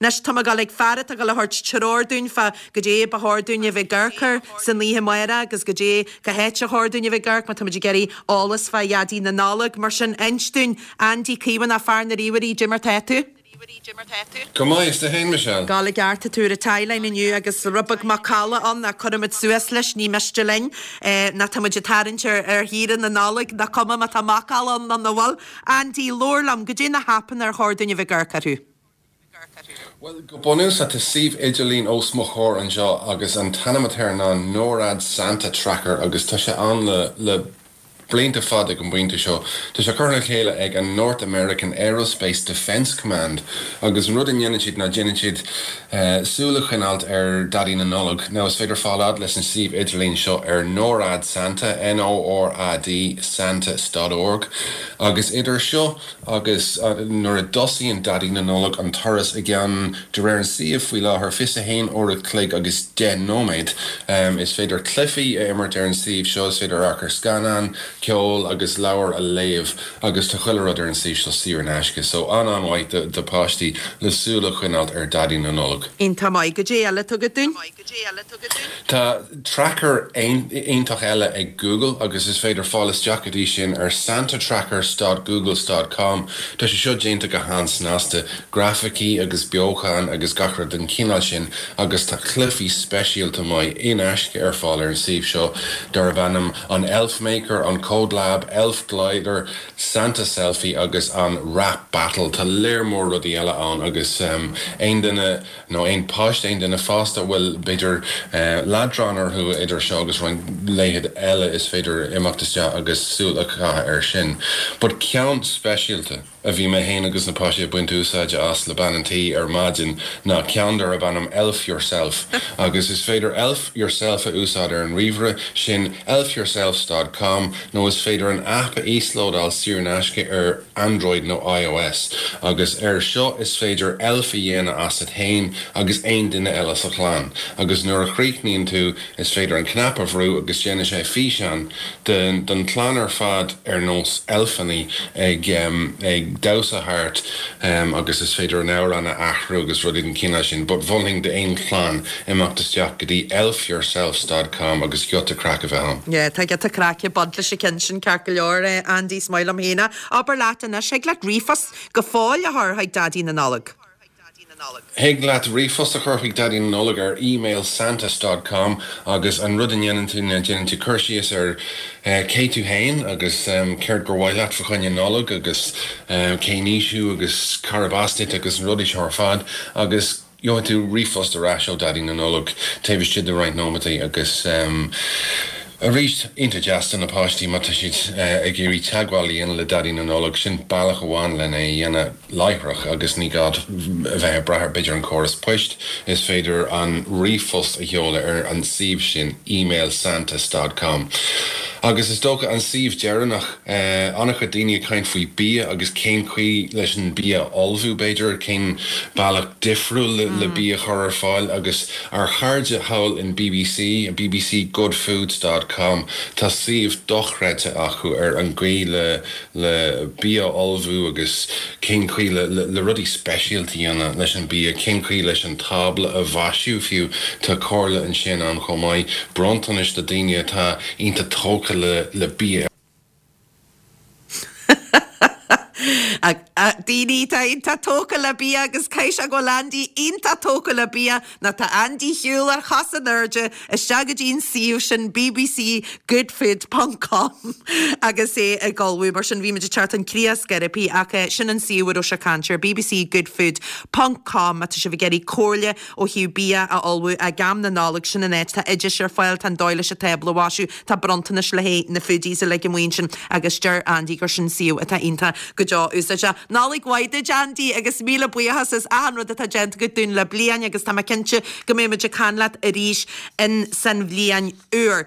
Anois tá mé ag dul ag fear atá ag dul a thabhairt treoir dúinn fá goidé ba chóir dúinn a bheith ag amharc air san oíche amárach agus goidé cá háit ar chóir dúinn a bheith ag amharc má táimid ag iarraidh eolas fá Dhaidí na Nollag. Mar sin, inis dúinn, Andy Caomhánach, fear na ríomhairí, goidé mar tá tú? Go maith, is tú fhéin, Michelle? Ag gabháil i gceart, tá tú ar an tie-line inniu agus rud beag macalla ann ach cuirfimid suas leis, ní miste linn ná tá muid ag tarraingt ar shaoire na Nollag, nach cuma má tá macalla ann nó nach bhfuil. Andy, labhair liom, goidé na haipeanna ar chóir dúinn a bheith ag amharc orthu? Bhuel, go bunúsach, tá suíomh idirlín os mo chomhair anseo agus an t-ainm atá air ná NORAD Santa Tracker agus tá sé ann le le blianta fada ag an bpointe seo. Tá sé curtha le chéile ag an North American Aerospace Defense Command agus an rud a ndéanann siad ná déanann siad súil a choinneáilt ar Daidí na Nollag. Now is féidir fáil fhad leis an suíomh idirlín seo ar NORAD Santa, N-O-R-A-D Santa dot org agus idir seo Agus nuair a dtosaíonn Daidí na Nollag an turas i gceann, de réir an suímh faoi láthair, 21 uair a chloig agus 10 nóiméad. Is féidir cluichí a imirt ar an suíomh seo, is féidir amharc ar scannáin, ceol agus leabhair a léamh agus tá chuile rud ar an suíomh seo saor in aisce. So an-an-mhaith do páistí le súil a choinneáilt ar Daidí na Nollag. Iontach maith. Goidé eile atá agat dúinn? Tá tracker iontach eile ag Google agus is féidir fáil isteach go dtí sin ar santatrackers dot googles dot com. Tá sé seo déanta go han-snasta, grafaicí agus beochan agus gach rud den chineál sin agus tá cluichí speisialta maith in aisce ar fáil ar an suíomh seo darb ainm an Elf Maker, an Code Lab, Elf Glider, Santa Selfie agus an Rap Battle. Tá léar mór rudaí eile ann agus aon duine nó aon pháiste, aon duine fásta a bhfuil, b'fhéidir, leadrán orthu idir seo agus roinnt laethanta eile, is féidir imeacht isteach agus súil a chaitheamh air sin. But ceann speisialta a bhí mé féin agus na páistí ag baint úsáide as le bean an tí ar maidin ná ceann darb ainm Elf Yourself agus is féidir Elf Yourself a úsáid ar an ríomhaire, sin elfyourself dot com nó is féidir an aip a íoslódáil saor in aisce ar Android nó iOS, agus air seo is féidir elf a dhéanamh asat fhéin agus aon duine eile sa chlann, agus nuair a chríochnaíonn tú is féidir an cnap a bhrú agus déanann sé físeán den chlann ar fad ar nós elfeannaí ag ag damhsa thart agus is féidir an amhrán a athrú agus rudaí den chineál sin, but mholfainn d'aon chlann imeacht isteach go dtí elfyourself dot com agus giota craic a bheith ann. Yeah, tá giota craic ag baint leis an ceann sin ceart go leor, Andy, is maith liom féin é. Abair leat anois, thig leat ríomhphost go fóill a chur chuig Daidí na Nollag. Thig leat ríomhphost a chur chuig Daidí na Nollag ar email santas dot com agus an rud a ndéanann tú ná déanann tú cur síos ar cé tú fhéin agus céard gur mhaith leat fa choinne Nollag agus cén aois thú agus cárb as duit agus na rudaí seo ar fad agus Gheobhaidh tú ríomhphost ar ais ó Daidí na Nollag taobh istigh de roinnt nóimeataí agus arís, iontach deas do na páistí má tá siad ag iarraidh teagmháil a dhéanamh le Daidí na Nollag, sin bealach amháin lena é a dhéanamh láithreach agus ní gá a bheith ag brath ar b'fhéidir an córas poist, is féidir an ríomhphost a sheoladh ar an suíomh sin emailsantas dot com. Agus is dócha an suíomh deireanach. An-chuid daoine ag caint faoi bia agus cén chaoi leis an bia a ullmhú, b'fhéidir, cén bealach difriúil le bia a chur ar fáil agus ár chairde thall in bbc, bbcgoodfoods dot com, tá suíomh dochreidte acu ar an gcaoi le le bia a ullmhú agus cén chaoi le le rudaí speisialta a dhéanamh leis an bia, cén chaoi leis an tábla a mhaisiú fiú, tá comhairle ansin ann chomh maith, bronntanais do daoine atá iontach tógtha le bia. Daoine atá iontach tógtha le bia agus caithfidh sé go bhfuil Andy iontach tógtha le bia nó tá Andy ar shiúl ar chos in airde isteach go dtí an suíomh sin bbcgoodfood ponc com agus é ag ullmhú. Mar sin bhí muid ag teacht chun críche scairpí ach sin an suíomh a raibh sé ag caint air bbcgoodfood ponc com má tá sibh ag iarraidh comhairle ó thaobh bia a ullmhú ag am na Nollag, sin an áit. Tá oidis ar fáil, tá an dóigh leis an tábla a mhaisiú, tá bronntanais le haghaidh na foodies uilig amuigh ansin agus deir Andy gur sin suíomh atá iontach go deo úsáideach. Nollaig mhaith duit Andy agus míle buíochas as achan rud atá déanta agat dúinn le bliain agus tá mé cinnte go mbeidh muid ag caint leat arís in san bhliain úr.